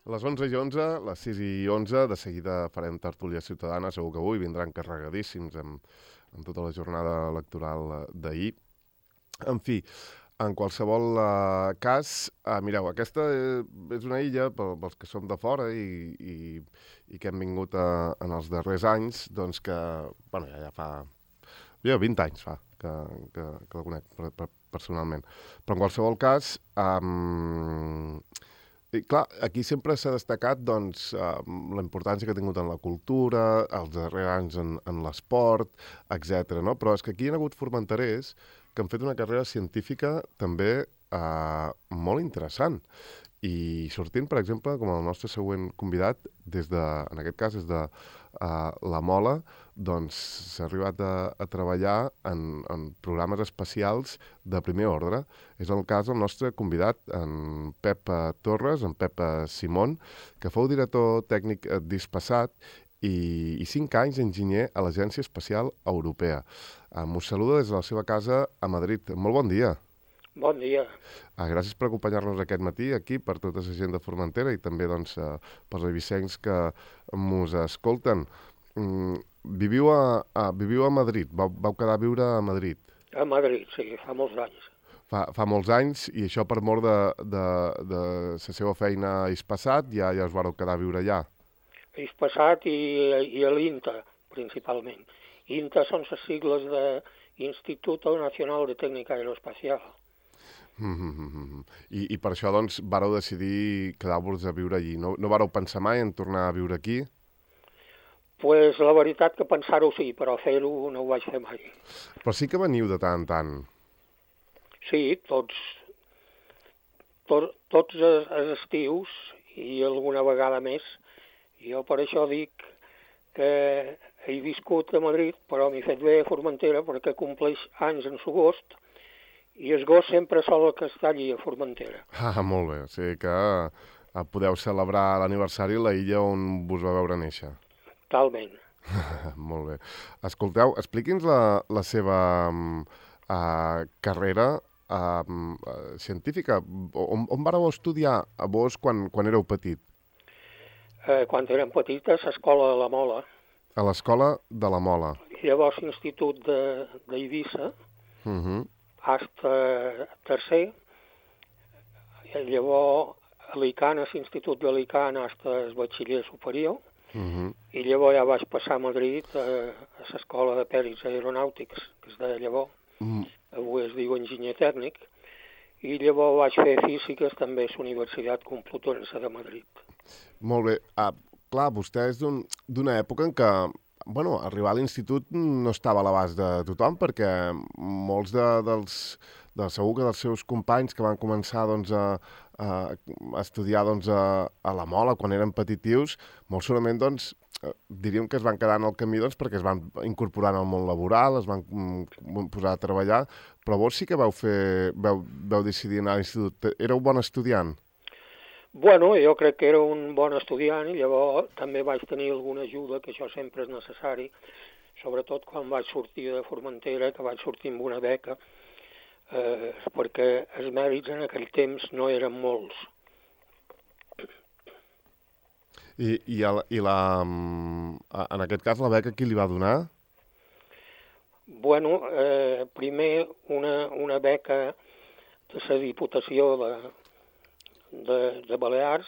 A les 11:11, les 6:11, de seguida farem tertúlia ciutadana, segur que avui vindran carregadíssims amb tota la jornada electoral d'ahir. En fi, en qualsevol cas, mireu, aquesta és una illa, pels que som de fora i que hem vingut en els darrers anys, doncs que, bueno, ja fa 20 anys que la conec personalment. Però en qualsevol cas, i clar, aquí sempre s'ha destacat doncs, la importància que ha tingut en la cultura, els darrers anys en l'esport, etc. No? Però és que aquí hi ha hagut formenterers que han fet una carrera científica també molt interessant. I sortint, per exemple, com el nostre següent convidat, en aquest cas des de la Mola, doncs s'ha arribat a treballar en programes espacials de primer ordre. És el cas del nostre convidat, en Pep Torres, en Pep Simón, que fou director tècnic d'ISPASAT i 5 anys enginyer a l'Agència Espacial Europea. Us saluda des de la seva casa a Madrid. Molt bon dia. Bon dia. Gràcies per acompanyar-nos aquest matí aquí, per tota la gent de Formentera i també doncs, pels eivissencs que mos escolten. Viviu a Madrid, vau quedar a viure a Madrid. A Madrid, sí, fa molts anys. Fa molts anys, i això per mort de la seva feina a ISPASAT, ja us vareu quedar a viure allà. A ISPASAT i a l'INTA, principalment. INTA són les sigles d'Instituto Nacional de Tècnica Aeroespacial. I per això, doncs, vareu decidir quedar-vos a viure allí. No vareu pensar mai en tornar a viure aquí? Pues la veritat que pensar-ho sí, però fer-ho no ho vaig fer mai. Però sí que veniu de tant en tant. Sí, tots els estius i alguna vegada més. Jo per això dic que he viscut a Madrid, però m'he fet bé a Formentera perquè compleix anys en l'agost i el gos sempre sol que està allí a Formentera. Molt bé. O sigui que podeu celebrar l'aniversari a la illa on vos va veure néixer. Talment. Molt bé. Escolteu, expliqui'ns la seva carrera científica. On vareu estudiar a vos quan éreu petit? Quan érem petites, a l'escola de la Mola. A l'escola de la Mola. Llavors, l'institut d'Eivissa, hasta tercer, i llavors a l'ICAN, a l'institut de l'ICAN, hasta el batxiller superior, i llavors ja vaig passar a Madrid a l'escola de pèrits aeronàutics, que és de llavors, avui es diu enginyer tècnic, i llavors vaig fer físiques també a la Universitat Complutense de Madrid. Molt bé. Clar, vostè és d'una època en què arribar a l'institut no estava a l'abast de tothom, perquè molts segur que dels seus companys que van començar doncs, a estudiar doncs, a la Mola quan eren petitius, molt segurament doncs, diríem que es van quedar en el camí doncs, perquè es van incorporar al món laboral, es van posar a treballar, però vos sí que vau decidir anar a l'institut. Éreu bon estudiant? Bueno, jo crec que era un bon estudiant i llavors també vaig tenir alguna ajuda, que això sempre és necessari, sobretot quan vaig sortir de Formentera, que vaig sortir amb una beca, perquè els mèrits en aquell temps no eren molts. I en aquest cas la beca qui li va donar? Bueno, primer una beca de la Diputació de Balears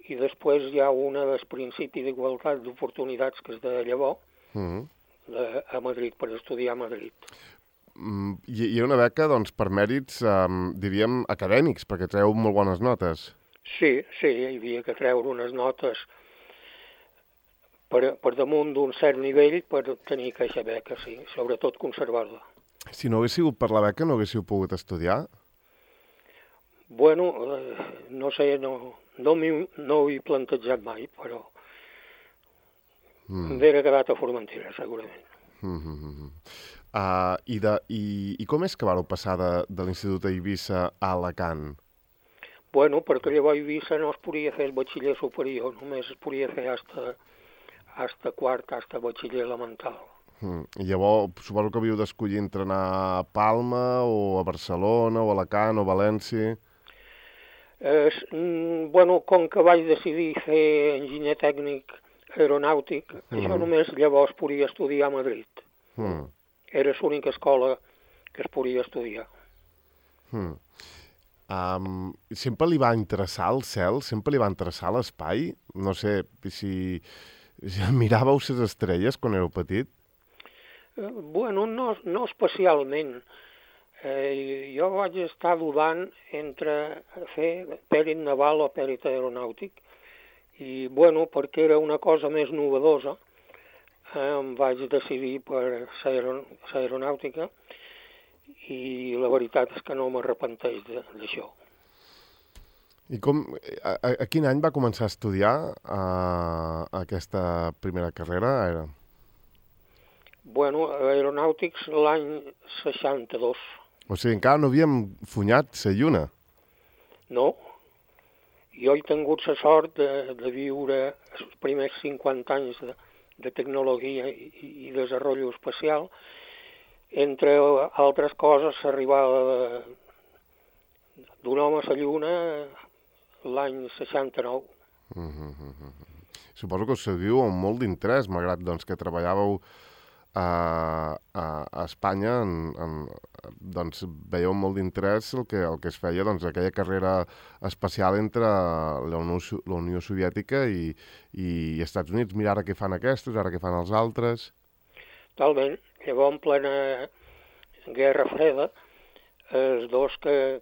i després hi ha una del principi d'igualtat d'oportunitats que és de llavors a Madrid, per estudiar a Madrid. Hi ha una beca doncs, per mèrits, diríem, acadèmics, perquè treu molt bones notes. Sí, hi havia que treure unes notes per damunt d'un cert nivell per tenir aquesta beca, sí, sobretot conservar-la. Si no hagués sigut per la beca, no haguéssiu pogut estudiar? Bueno, no sé, no ho he plantejat mai, però m'hauria quedat a Formentera, segurament. I com és que vareu passar de l'Institut d'Eivissa a Alacant? Bueno, perquè llavors a Eivissa no es podia fer el batxiller superior, només es podia fer hasta quart, hasta batxiller elemental. I llavors suposo que havíeu d'escollir entre anar a Palma o a Barcelona o a Alacant o a València. Bueno, com que vaig decidir fer enginyer tècnic aeronàutic, jo només llavors podia estudiar a Madrid. Era l'única escola que es podia estudiar. Sempre li va interessar el cel? Sempre li va interessar l'espai? No sé, si miràveu les estrelles quan éreu petit? Bueno, no especialment. Jo vaig estar dudant entre fer pèrit naval o pèrit aeronàutic i, bueno, perquè era una cosa més novedosa, em vaig decidir per l'aeronàutica i la veritat és que no m'arrepenteix d'això. I a quin any va començar a estudiar aquesta primera carrera? Bueno, aeronàutics l'any 62. O sigui, encara no havíem funyat la lluna. No. Jo he tingut la sort de viure els primers 50 anys de tecnologia i desenvolupament espacial. Entre altres coses, l'arribada d'un home a la lluna l'any 69. Suposo que us seguiu amb molt d'interès, malgrat doncs, que treballàveu a Espanya, doncs veieu molt d'interès el que es feia, doncs, aquella carrera espacial entre la Unió Soviètica i Estats Units. Mira, ara què fan aquests, ara què fan els altres. Talment. Llavors, en plena Guerra Freda, els dos que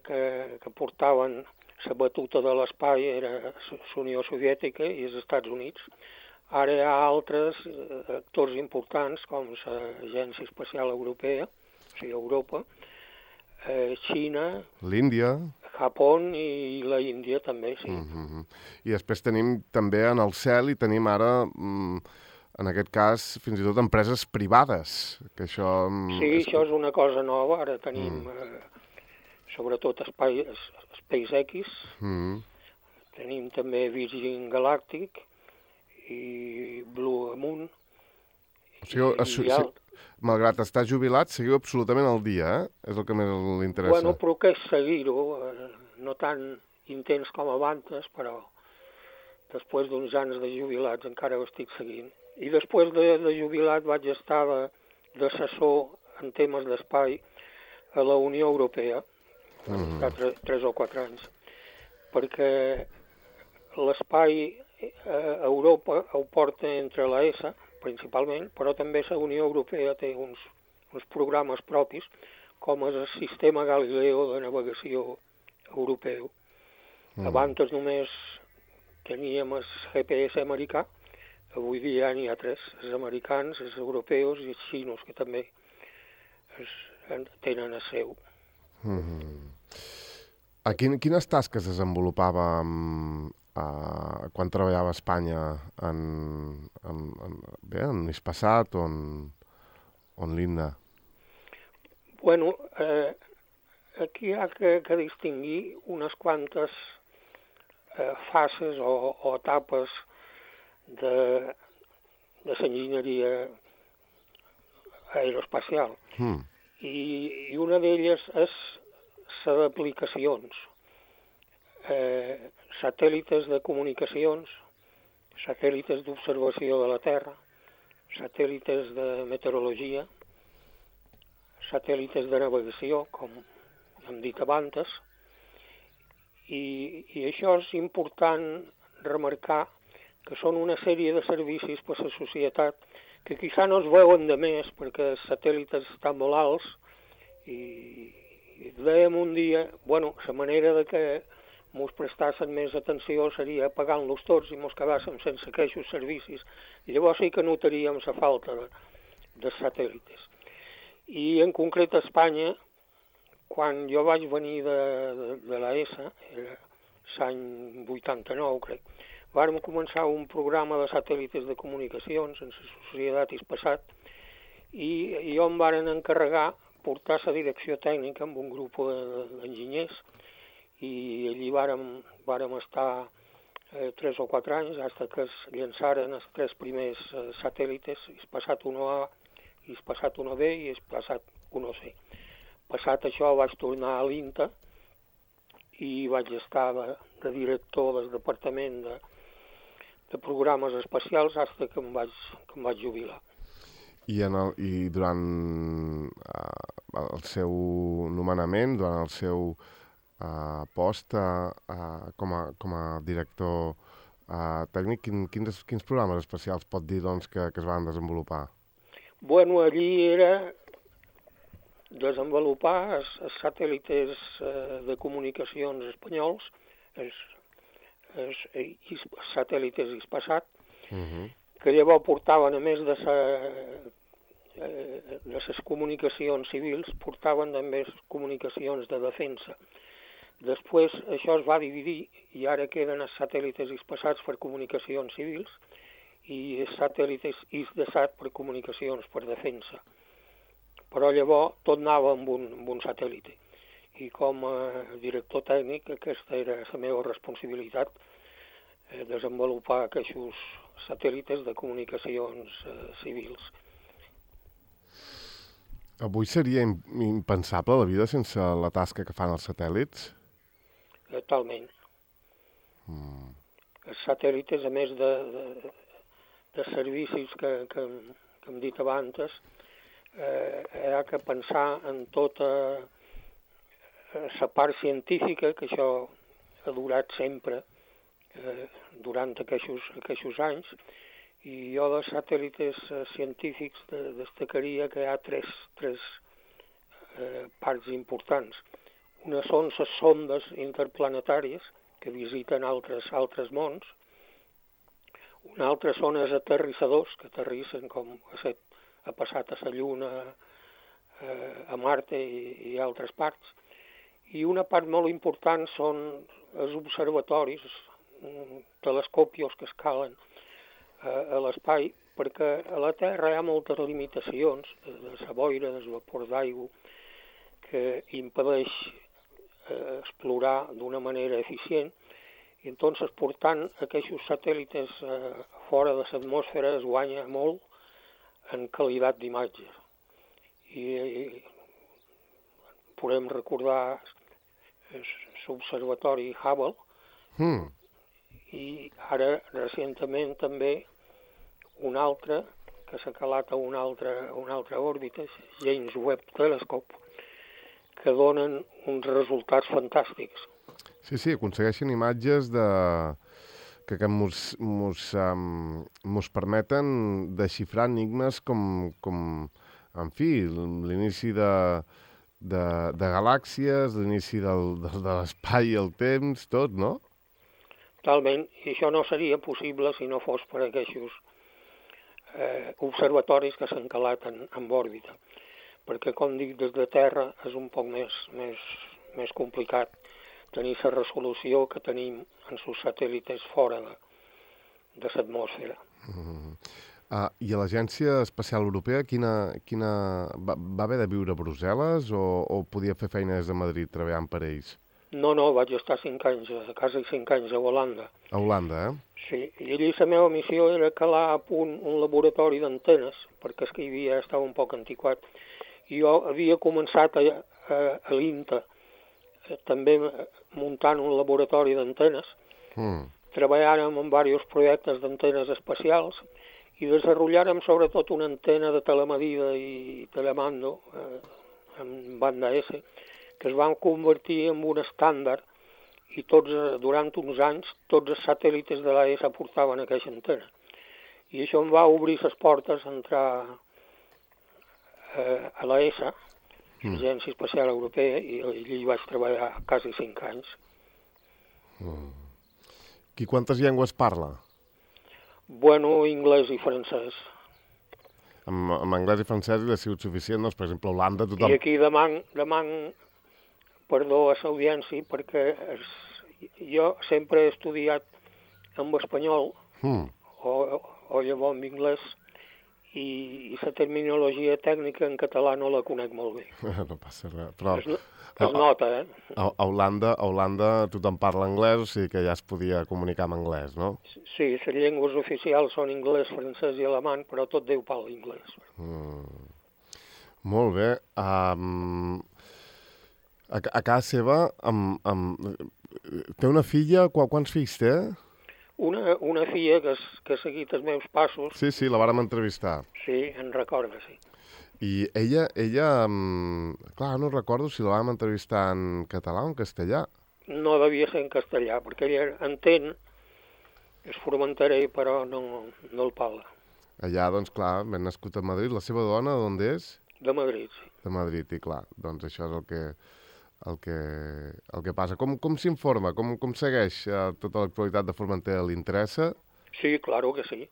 portaven la batuta de l'espai era la Unió Soviètica i els Estats Units. Ara hi ha altres actors importants, com l'Agència Espacial Europea, o sigui, Europa, Xina, l'Índia, Japó i la Índia també, sí. I després tenim també en el cel i tenim ara, en aquest cas, fins i tot empreses privades. Que això, això és una cosa nova. Ara tenim sobretot SpaceX, tenim també Virgin Galactic i Blue Moon. O sigui, malgrat estar jubilat, seguiu absolutament al dia, És el que més l'interessa. Bueno, però què és seguir-ho? No tan intens com abans, però després d'uns anys de jubilats encara ho estic seguint. I després de jubilat vaig estar d'assessor en temes d'espai a la Unió Europea, vaig estar 3 o 4 anys, perquè l'espai a Europa ho porta entre l'ESA, principalment, però també la Unió Europea té uns programes propis, com és el sistema Galileo de navegació europeu. Abans només teníem el GPS americà, avui dia n'hi ha 3, els americans, els europeus i els xinos, que també tenen el seu. Quines tasques desenvolupava quan treballava a Espanya en Hispasat o en l'INDA? Bueno, aquí hi ha que distingir unes quantes fases o etapes de l'enginyeria aeroespacial. I una d'elles és la d'aplicacions. Satèl·lites de comunicacions, satèl·lites d'observació de la Terra, satèl·lites de meteorologia, satèl·lites de navegació, com hem dit abans, i això és important remarcar que són una sèrie de servicis per a la societat que quizà no es veuen de més perquè els satèl·lites estan molt alts i dèiem un dia, bueno, la manera de que mos prestassen més atenció seria pagant-los tots i mos quedàssim sense aquests servicis. I llavors sí que notaríem la falta de satèl·lites. I en concret a Espanya, quan jo vaig venir de l'ESA, era l'any 89, crec, vàrem començar un programa de satèl·lites de comunicacions en la societat Hispasat i jo em varen encarregar portar la direcció tècnica amb un grup d'enginyers i allí vàrem estar 3 o 4 anys fins que es llançaren els 3 primers satèl·lites, Hispasat 1A, Hispasat 1B i Hispasat 1C. Passat això vaig tornar a l'INTA i vaig estar de director del departament de programes espacials fins que em vaig jubilar. I durant el seu nomenament, durant el seu post com a director tècnic, quins programes especials pot dir doncs, que es van desenvolupar? Bueno, allí era desenvolupar els satèl·lites de comunicacions espanyols, els satèl·lites Hispasat, que llavors portaven, a més de les comunicacions civils, portaven també comunicacions de defensa. Després això es va dividir i ara queden els satèl·lites Hispasats per comunicacions civils i els satèl·lites Hisdesat per comunicacions per defensa. Però llavors tot anava amb un satèl·lite. I com a director tècnic aquesta era la meva responsabilitat, desenvolupar aquests satèl·lites de comunicacions civils. Avui seria impensable la vida sense la tasca que fan els satèl·lits? Totalment. Els satèl·lites, a més de servicis que hem dit abans, hi ha que pensar en tota la part científica, que això ha durat sempre durant aquests anys, i jo dels satèl·lites científics destacaria que hi ha tres parts importants. Una són les sondes interplanetàries que visiten altres mons. Una altra són els aterrissadors que aterrissen com ha passat a la Lluna, a Marte i altres parts. I una part molt important són els observatoris, telescopios que escalen a l'espai, perquè a la Terra hi ha moltes limitacions de la boira, del vapor d'aigua, que impedeix explorar d'una manera eficient, i entonces portant aquests satèl·lites fora de l'atmosfera es guanya molt en qualitat d'imatge. I podem recordar l'observatori Hubble, i ara recentment també un altre que s'ha calat a una altra òrbita, James Webb Telescope, que donen uns resultats fantàstics. Sí, aconsegueixen imatges que mos permeten desxifrar enigmes com en fi, l'inici de galàxies, l'inici de l'espai i el temps, tot, no? Totalment, i això no seria possible si no fos per aquests observatoris que s'han calat en òrbita, perquè, com dic, des de Terra és un poc més complicat tenir la resolució que tenim en els satèl·lites fora de l'atmosfera. I a l'Agència Espacial Europea va haver de viure a Brussel·les o podia fer feina des de Madrid treballant per ells? No, vaig estar 5 anys, quasi 5 anys a Holanda. A Holanda, Sí, i allí la meva missió era calar a punt un laboratori d'antenes, perquè és que estava un poc antiquat. I jo havia començat a l'INTA, també muntant un laboratori d'antenes. Treballàrem en diversos projectes d'antenes espacials i desenvolupàrem sobretot una antena de telemedida i telemando en banda S, que es van convertir en un estàndard i durant uns anys tots els satèl·lites de l'ESA portaven aquesta antena. I això em va obrir les portes a entrar a l'ESA, l'Agència Espacial Europea, i allí vaig treballar quasi 5 anys. I quantes llengües parla? Bueno, anglès i francès. Amb anglès i francès li ha sigut suficient, doncs, per exemple, a Holanda tothom... I aquí deman perdó a l'audiència, perquè jo sempre he estudiat en espanyol o llavors en anglès, i la terminologia tècnica en català no la conec molt bé. No passa res, però... Es nota, A Holanda tothom parla anglès, o sigui que ja es podia comunicar en anglès, no? Sí, les llengües oficials són anglès, francès i alemany, però tot Déu parla anglès. Molt bé. A casa seva, té una filla, quants fills té? Una filla que ha seguit els meus passos. Sí, la vàrem entrevistar. Sí, en recorda, sí. I ella, clar, no recordo si la vam entrevistar en català o en castellà. No devia ser en castellà, perquè ella entén, és formenterè, però no el parla. Allà, doncs, clar, ben nascut a Madrid. La seva dona, d'on és? De Madrid, sí. De Madrid, i clar, doncs això és el que passa. Com s'informa? Com segueix tota l'actualitat de Formentera? Li interessa? Sí, claro que sí.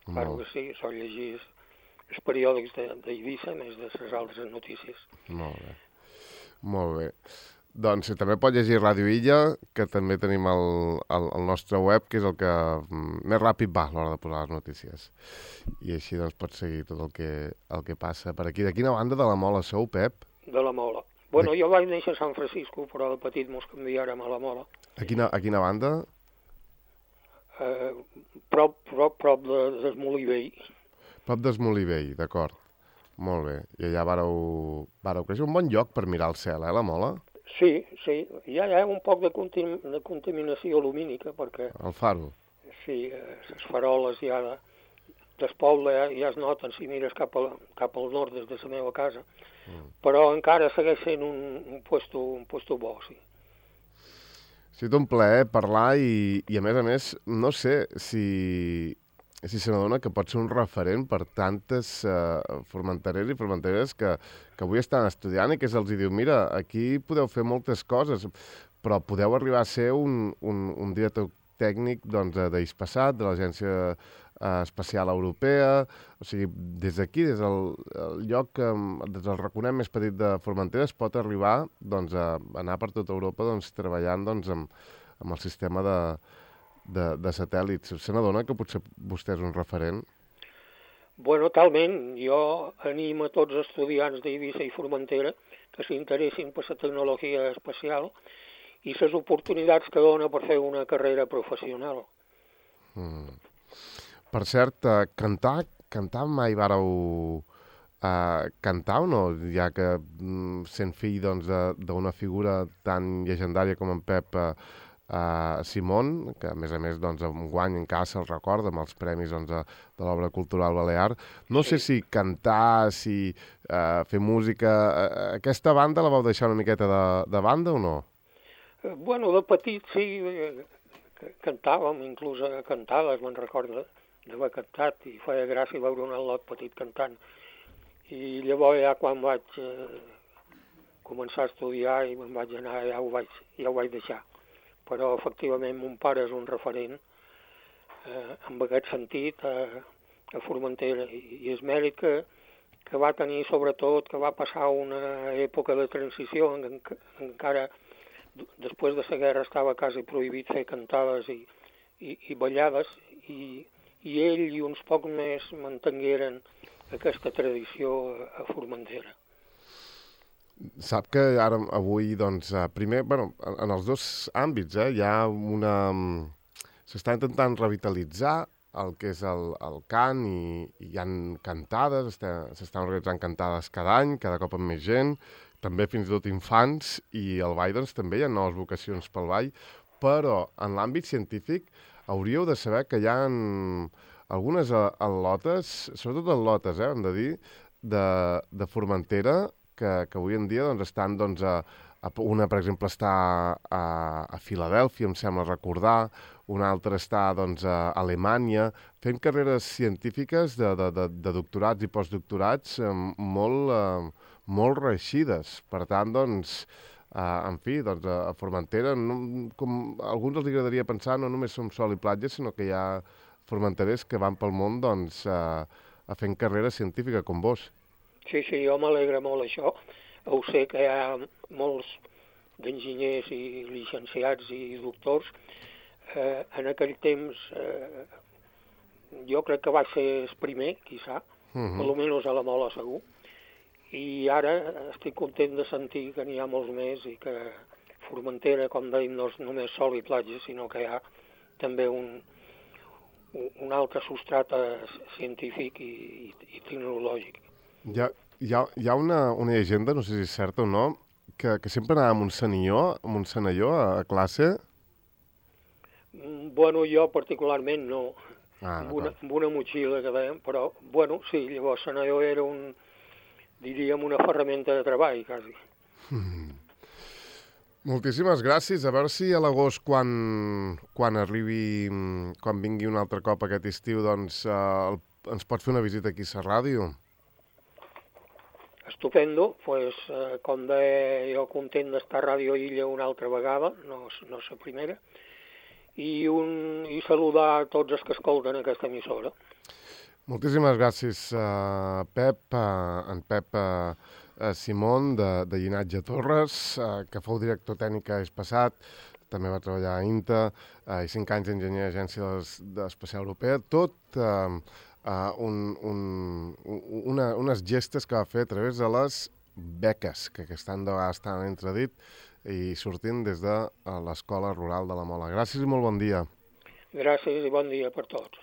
Claro que sí. Sol llegir els periòdics d'Eivissa, més de les altres notícies. Molt bé. Molt bé. Doncs també pot llegir Ràdio Illa, que també tenim el nostre web, que és el que més ràpid va a l'hora de posar les notícies. I així doncs pots seguir tot el que passa per aquí. De quina banda de la Mola sou, Pep? De la Mola. Bueno, jo vaig néixer a San Francisco, però de petit mos canviàrem a la Mola. A quina banda? Prop del Molí Vell. Prop del Molí Vell, d'acord. Molt bé. I allà vareu créixer. Un bon lloc per mirar el cel, la Mola? Sí. Hi ha un poc de contaminació lumínica, perquè... El faro? Sí, les faroles ja del poble ja es noten si mires cap al nord des de la meva casa. Però encara segueix sent un puesto bo, sí. Ha sigut un plaer parlar i a més, no sé si se n'adona que pot ser un referent per tantes formenterers i formenteres que avui estan estudiant i que se'ls diu, mira, aquí podeu fer moltes coses, però podeu arribar a ser un director tècnic d'Hispasat, de l'Agència Espacial Europea, o sigui, des d'aquí, des del lloc, des del raconet més petit de Formentera, es pot arribar a anar per tota Europa treballant amb el sistema de satèl·lits. Se n'adona que potser vostè és un referent? Bueno, talment. Jo animo a tots els estudiants d'Eivissa i Formentera que s'interessin per la tecnologia espacial i les oportunitats que dona per fer una carrera professional. Per cert, cantar mai vareu cantar o no? Ja que sent fill d'una figura tan llegendària com en Pep Simón, que a més enguany encara se'l recorda amb els premis de l'obra cultural balear. No sé si cantar, si fer música... Aquesta banda la vau deixar una miqueta de banda o no? Bueno, de petit sí, cantàvem, inclús a cantades, me'n recordo d'haver cantat, i feia gràcia veure un al·lot petit cantant. I llavors ja quan vaig començar a estudiar i me'n vaig anar, ja ho vaig deixar. Però efectivament mon pare és un referent en aquest sentit a Formentera, i és mèrit que va tenir, sobretot, que va passar una època de transició, encara després de la guerra estava quasi prohibit fer cantades i ballades, i ell i uns pocs més mantengueren aquesta tradició a Formentera. Sap que ara, avui, primer, en els dos àmbits, hi ha s'està intentant revitalitzar el que és el cant i hi ha cantades, s'estan organitzant cantades cada any, cada cop amb més gent, també fins i tot infants, i el ball també hi ha noves vocacions pel ball, però en l'àmbit científic hauríeu de saber que hi ha algunes al·lotes, sobretot al·lotes, hem de dir, de Formentera, que avui en dia estan, una, per exemple, està a Filadèlfia, em sembla recordar, una altra està a Alemanya, fent carreres científiques de doctorats i postdoctorats molt reeixides. Per tant, en fi, a Formentera, com a alguns els agradaria pensar, no només som sol i platja, sinó que hi ha formenterers que van pel món a fent carrera científica com vos. Sí, jo m'alegra molt això. Ho sé que hi ha molts d'enginyers i llicenciats i doctors. En aquell temps jo crec que va ser el primer, quizà, almenys a la Mola segur, i ara estic content de sentir que n'hi ha molts més i que Formentera, com dèiem, no és només sol i platja, sinó que hi ha també un altre substrat científic i tecnològic. Hi ha una llegenda, no sé si és certa o no, que sempre anava amb un senalló a classe? Bueno, jo particularment no, Ah, d'acord. amb una motxilla que dèiem, però, bueno, sí, llavors senador era diríem, una ferramenta de treball, quasi. Moltíssimes gràcies. A veure si a l'agost, quan arribi, quan vingui un altre cop aquest estiu, doncs ens pot fer una visita aquí a la ràdio. Estupendo, pues, com deia, jo content d'estar a Ràdio Illa una altra vegada, no la primera, i saludar a tots els que escolten aquesta emissora. Moltíssimes gràcies, Pep, en Pep Simón, de Llinatge Torres, que fou director tècnic l'any passat, també va treballar a INTA, i 5 anys d'enginyer a l'Agència Espacial Europea, tot unes gestes que va fer a través de les beques, que aquest any de vegades estan entredit, i sortint des de l'Escola Rural de la Mola. Gràcies i molt bon dia. Gràcies i bon dia per tots.